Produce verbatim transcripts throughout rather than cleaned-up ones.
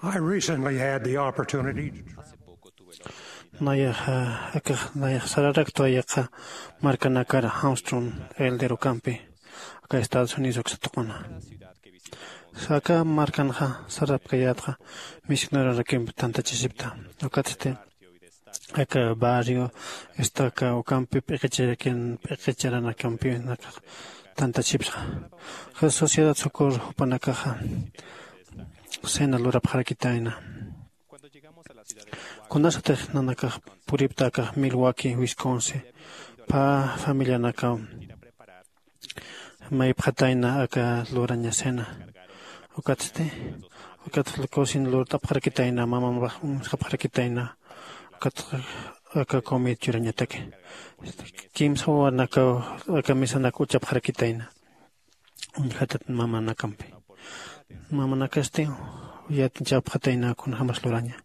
I recently had the opportunity to travel. Nayaxa akax nayax sararaktwa yaqa markanakar Armstrong elder ukampi aka Estados Unidos uksa tuquna. Aka markanxa sarapkayätxa misionerorakimpi tantachasipta. Ukatsti aka barrio estaca ukampi p'iqicharakin p'iqicharanakampi nakax tantachipsa. Aka sociedad socorro jupanakaxa cena lurapxarakitayna. Kunasatix nanakax puripta akax Milwaukee, Wisconsin, pä familianakaw maypxatayna aka luraña cena. Ukatsti ukat cocina lurt'apxarakitayna, mamampax uñjapxarakitayna. Ukat aka comida churañataki kimsa wawanakaw aka mesanak uchapxarakitayna. Uñjatat mamanakampi. Mamanakasti yatichapxatayna kunjämas luraña.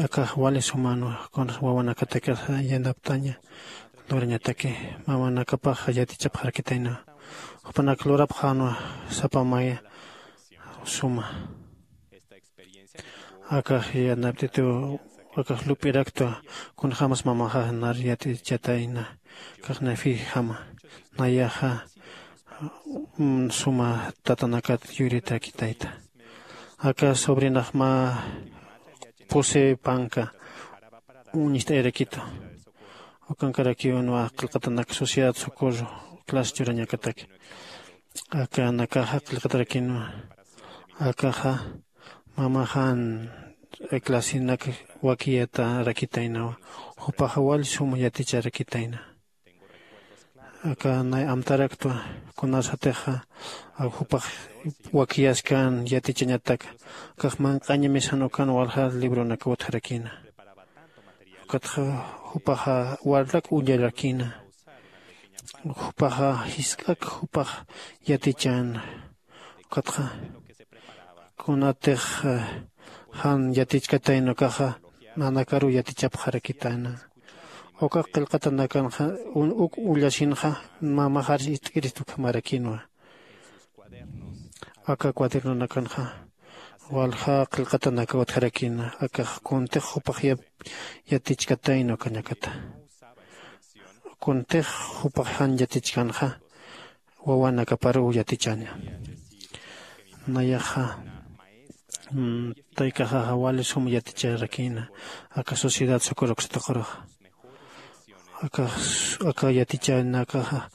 Akax wali sumanwa kunas wawanakatakasa yanaptaña lurañataki. Mamanakapax yatichapxarakitayna. Jupanak lurapxänwa sapa maya suma. Akax yanapt'itiw akax lup'iraktwa kunjämas mamaxa nar yatichatayna. Akax nayfijama nayaxa suma tatanakat yuritakitayta. Aka sobrinax mä pusi panka uñist'ayarakitu. Ukankarakiw nuwa qillqatanak sociedad socorro clase churañakataki. Akanakaxa qillqatarakinwa. Akaxa mamaxan clasenak wakiyatarakitaynawa. Jupaxa wali suma yaticharakitayna. Aka nay amtaraktwa kunasatixa jupax wakiyaskan yatichañataka. Akax manq'aña mesan ukan walja libronak utjarakina. Ukatxa jupaxa warlak ullarakina. Jupaxa jisk'ak jupax yatichäna. Ukatxa kunatix jan yatichkatayna ukaxa nanakaruw yatichapxarakitana. Uka qillqatanakanxa uk ullasinxa mamaxar ist'kirist ukhamarakinwa. Aka cuadernonakanxa walja qillqatanaka utjarakina akax kuntix jupax yatichkatayna ukañakata. Kuntix jupax jan yatichkanxa wawanakaparuw yatichaña. Nayaxa taykaxaxa wali sum yaticharakina aka sociedad socorro ukstaquraxa. Aka aka yatichanakaxa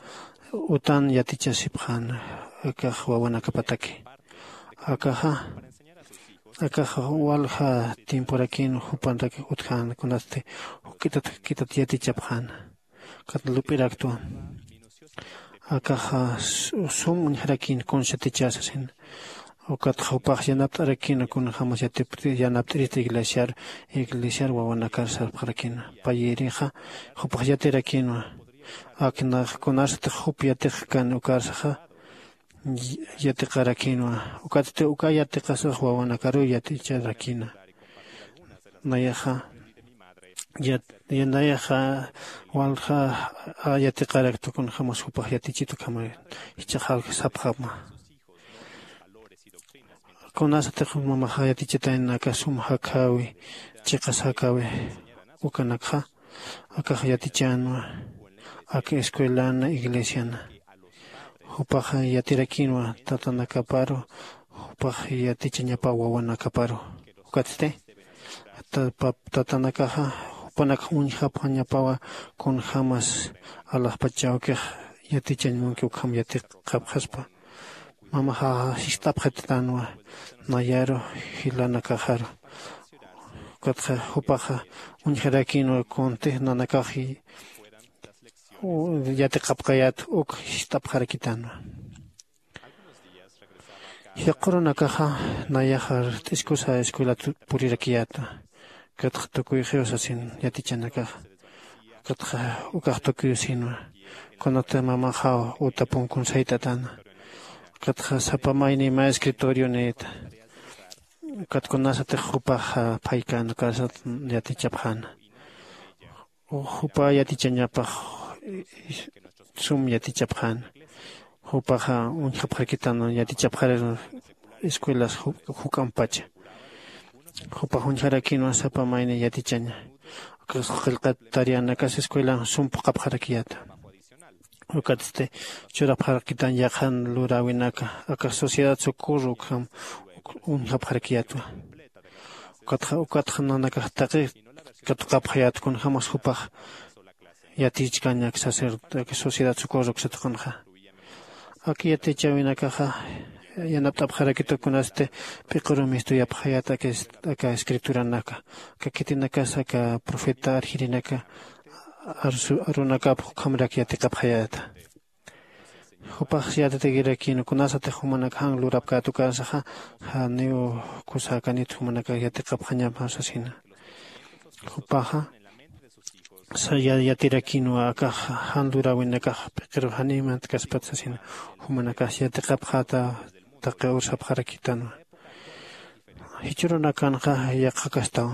utan yatichasipxäna akax wawanakapataki. Akaxa akaxa walja tiemporakin jupanrak utjäna kunasti juk'itat juk'itat yatichapxäna. Ukat lup'iraktwa akaxa sum uñjarakïn kuns yatichäsasina. Ukatxa jupax yanapt'arakïna kunjämas yanapt'irista iglesiar iglesiar wawanakar sarpxarakïna. Payïrixa jupax yatirakïnwa. Aknax kunasatix jup yatixkan ukarsaxa yatiqarakïnwa. Ukatsti uka yatiqasax wawanakaruw yaticharakïna. Nayaxa yanayaxa walja yatiqarakta kunjämas jupax yatichit ukhama jichhax jalja sapxama. Kunasatix mamaxa yatichatayna aka sum jakhawi chiqas jakhawi ukanakxa akax yatichänwa aka escuelana iglesiana. Jupax yatirakïnwa tatanakaparu jupax yatichañapaw wawanakaparu. Ukatsti tatanakaxa jupanakx uñjapxañapawa kunjämas alaxpach awkix yatichañ munki ukham yatiqapxaspa. Mamaxaxa sist'apxatitänwa nayaru jilanakaxaru. Ukatxa jupaxa uñjarakïnwa kuntix nanakax yatiqapkayät uk sist'apxarakitänwa. Yaqhurunakaxa nayaxar t'iskusa escuelat purirakiyäta. Ukatxa tukuy jiwasasin yatichanakaxa ukatxa ukax tukuy sinwa kunata mamaxaw uta punkun sayt'atäna. Ukatxa sapa mayni mä escritorio niyta. Ukat kunasatix jupax phaykän ukasat yatichapxäna. Jupa yatichañapax sum yatichapxäna. Jupaxa uñjapxarakitänwa yatichapxarir escuelas juk'ampacha. Jupax uñjarakinwa sapa mayni yatichaña. Qillqat tareanakas escuelan sum phuqhapxarakiyata. Ukatsti churapxarakitan yaqhan luräwinaka aka sociedad socorro ukham uñjapxarakiyatwa. Ukatxa ukatxa nanakax taqi katuqapxayät kunjämas jupax yatichkañak sacerdote sociedad socorro uksatuqanxa. Aka yatichäwinakaxa yanapt'apxarakitu kunasti p'iquru mistuyapxayät aka aka escrituranaka aka khitinakas aka profeta arjirinaka arunakap jukhamrak yatiqapxayäta. Jupax yatatikirakïn kunasatix jumanak jan lurapkät ukansaxa janiw kusäkanit jumanakax yatiqapxañapa sasina. Jupaxa yatirakïnwa akax jan luräwinakax p'iqiru janiw mantkaspat sasina. Jumanakax yatiqapxäta taqi ursapxarakitanwa. Jichhürunakanxa yaqhakastaw.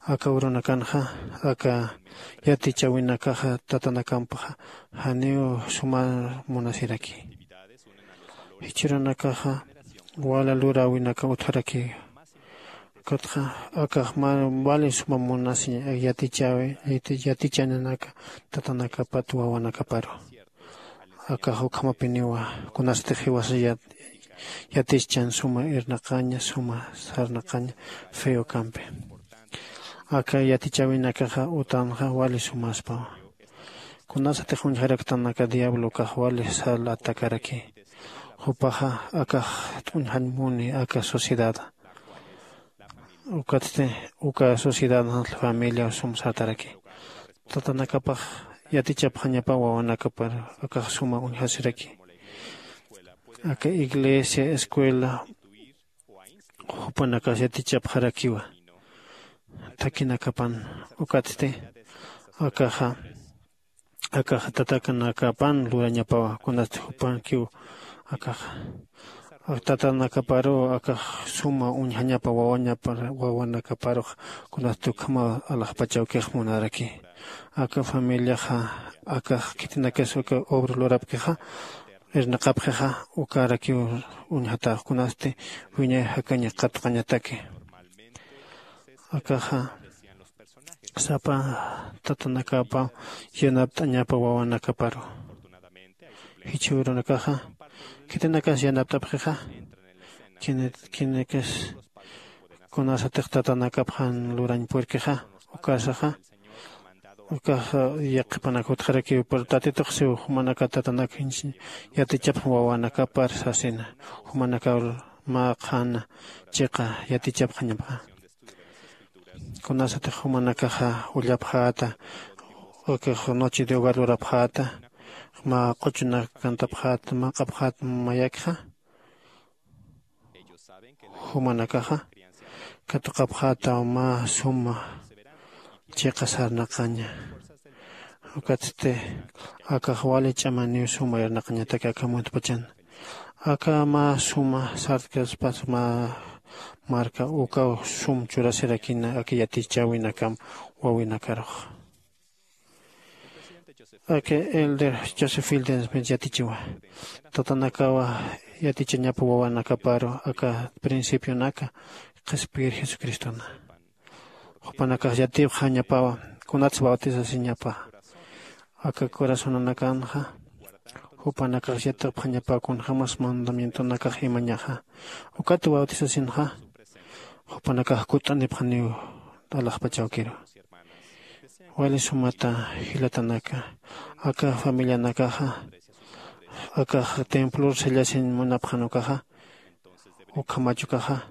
Aka urunakanxa aka yatichäwinakaxa tatanakampxa janiw suma munasiraki. Jichhürunakaxa wala luräwinaka utjaraki. Ukatxa akax wali suma munasi yatichäwi yatichänanaka tatanakapat wawanakaparu. Akax ukhamapiniwa kunasatix jiwasa yatischan suma irnaqaña suma sarnaqaña feokampi. Aka yatichäwinakaxa utanxa wali sumaspawa. Kunasatix uñjaraktanaka diablo ukax wali sal atacaraki. Jupaxa akax t'uñjañ muni aka sociedada. Ukatsti uka sociedad familia sum sartaraki. Tatanakapax yatichapxañapa wawanakapar akax suma uñjasiraki. Aka iglesia escuela jupanakas yatichapxarakiwa. Thakinakapan ukatsti akaxa akax tatakanakapan lurañapawa kunasti jupankiw akaxa tatanakaparuw akax suma uñjañapa wawañapa wawanakaparux kunasti ukhama alaxpachawkix munaraki. Aka familiaxa akax khitinakas uka obra lurapkixa irnaqapxixa ukarakiw uñjatax kunasti wiñay jakaña qatuqañataki. Akaxa sapa tatanakapaw yanapt'añapa wawanakaparu. Jichhürunakaxa khitinakas yanapt'apxixa khinikas kunasatix tatanakap jan lurañ purkixa ukasaxa ukaxa yaqhipanak utjarakiw pero tatitux siw jumanaka tatanak yatichapxam wawanakapar sasina. Jumanakaw mä qhana chiqa yatichapxañapxa. Kunasatix jumanakaxa ullapxäta ukax noche de hogar lurapxäta mä q'uchunak cantapxäta mä q'apxäta mayakxa jumanakaxa katuqapxätaw mä suma chiqa sarnaqaña. Ukatsti akax wali ch'amaniw suma irnaqañataki aka muntpachan aka mä suma sartkaspas mä marka ukaw sum churasirakina aka yatichäwinakam wawinakarux. Aka elder joseph fieldensmith yatichiwa tatanakawa yatichañapa wawanakaparu aka principionaka qhispiyir jesucristona. Jupanakax yatipxañapawa kunats bautisasiñapa aka corazonanakanxa jupanakax yatipxañapawa kunjämas mandamientonakax imañaxa ukat bautisasinxa jupanakax kutt'anipxaniw alaxpachawkiru. Wali sumata jilatanaka aka familianakaxa akax templor sallasin munapxan ukaxa ukhamach ukaxa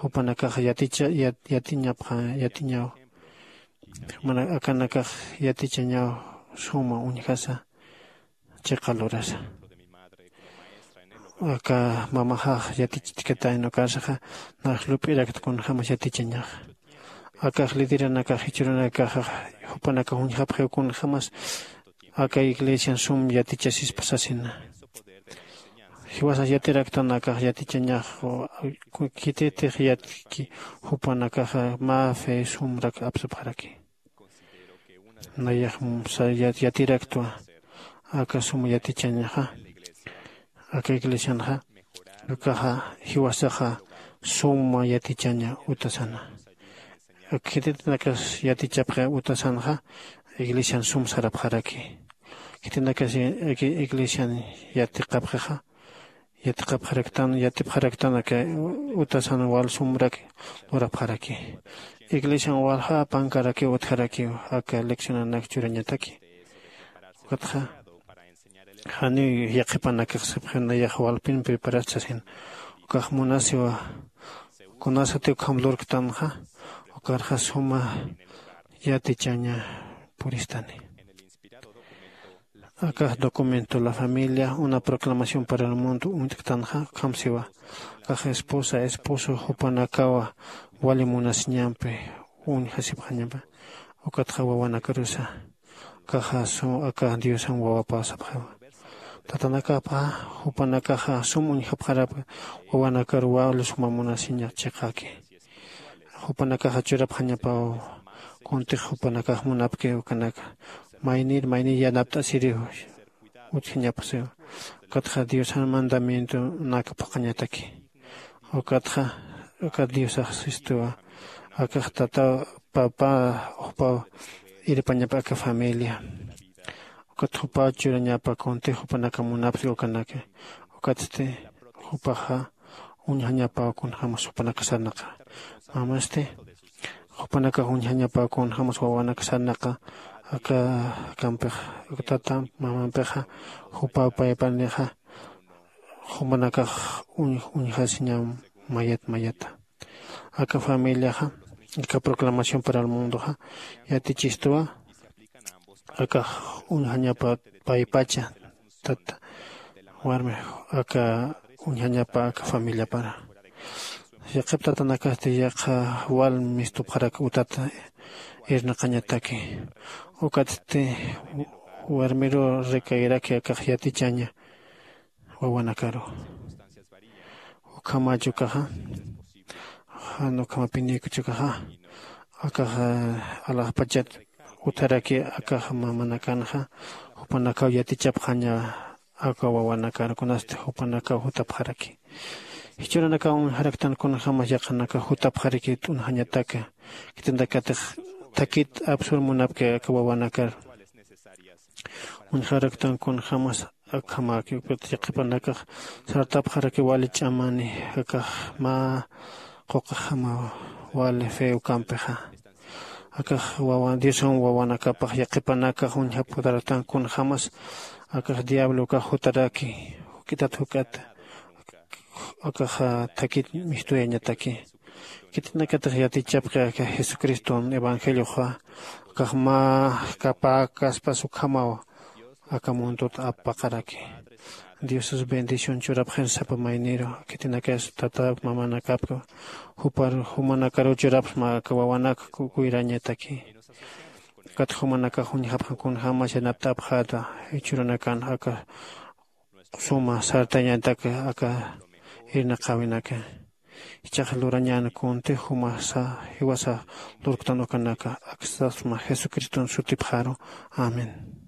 jupanakaxa yaticha yatiñapxa yatiñaw mana akanakax yatichañaw suma uñjasa chiqa lurasa. Aka mamaxax yatichitkatäyna ukarsaxa nax lup'irakt kunjämas yatichañaxa. Akax lideranakax jichhürunakaxax jupanakax uñjapxiw kunjämas aka iglesian sum yatichasispa sasina. Jiwasas yatiraktanakax yatichañax khititix yatki jupanakaxa mä fe sumrak apsapxaraki. Nayax yatiraktwa aka suma yatichañaxa aka iglesianxa Ukaxa jiwasaxa suma yatichaña utasana. Khititinakas yatichapxi utasanxa iglesian sum sarapxaraki. Khitinakas iglesian yatiqapxixa yatiqapxaraktan yatipxaraktan aka utasan wal sumrak lurapxaraki. Iglesian walja pankaraki utjarakiw aka leccionanak churañataki. Ukatxa janiw yaqhipanakax sapxi nayax walpin preparas sasin ukax munasiwa. Kunasati ukham lurktanxa ukarxa suma yatichaña puristani. Akax documento la familia una proclamación para el mundo uñt'ktanxa ukham siwa. Akax esposa esposo jupanakawa wali munasiñampi uñjasipxañapa. Ukatxa wawanakarusa akaxa sum aka diosan wawapasapxiwa. Tatanakapa jupanakaxa sum uñjapxarapa wawanakaruwa lus jumamunasiña chiqaki. Jupanakaxa churapxañapaw kuntix jupanakax munapki ukanaka maynir maynir yanapt'asiriw utjañapasiwa. Ukatxa diosan mandamientonak phuqhañataki. Ukatxa ukat diosax sistuwa akax tataw papa jupaw irpañapa aka familia. Ukat jupaw churañapa kuntix jupanaka munapsi ukanaka. Ukatsti jupaxa uñjañapaw kunjämas jupanaka sarnaqa. Mamasti jupanakax uñjañapaw kunjämas wawanaka sarnaqa aka kampix tata mamampixa jupaw paypanixa jumanakax uñjasiñam mayat mayata. Aka familiaxa aka proclamación para el mundoxa yatichistuwa akax uñjañapa paypacha tata warmi aka uñjañapa aka familiapara. Yaqhip tatanakasti yaqha wal mistupxarak utata irnaqañataki. Ukatsti warmiru rikayraki akax yatichaña wawanakaru. Ukhamach ukaxa jan ukhamapinïkuch ukaxa akaxa alaxpachat utjaraki akax mamanakanxa jupanakaw yatichapxaña aka wawanakar kunasti jupanakaw jutapxaraki. Jichhüranakaw uñjaraktan kunjämas yaqhanakax jutapxaraki t'unjañataka. Khitinakatix thakit apsur munapki aka wawanakar uñjaraktan kunjämas akhamäki ukat yaqhipanakax sartapxaraki wali ch'amani akax mä quqaxama wali fe ukampixa. Akax wawan diosan wawanakapax yaqhipanakax uñjapxaraktan kunjämas akax diablo ukax jutaraki juk'itat juk'at akax thakit mistuyañataki. Khitinakatix yatichapxi aka jesucriston evangelioxa akax mä kapäkaspas ukhamaw aka mundot apaqaraki. Diosas bendición churapxir sapa mayniru khitinakas tata mamanakapka jupar jumanakaruw churapxma aka wawanak kuyrañataki. Ukat jumanakax uñjapxan kunjämas yanapt'apxäta jichhüranakan aka suma sartañataka aka irnaqäwinaka. Jichhax lurañän kuntix jumasa jiwasa lurktan ukanaka aksasma jesucriston sutipxaru. Amén.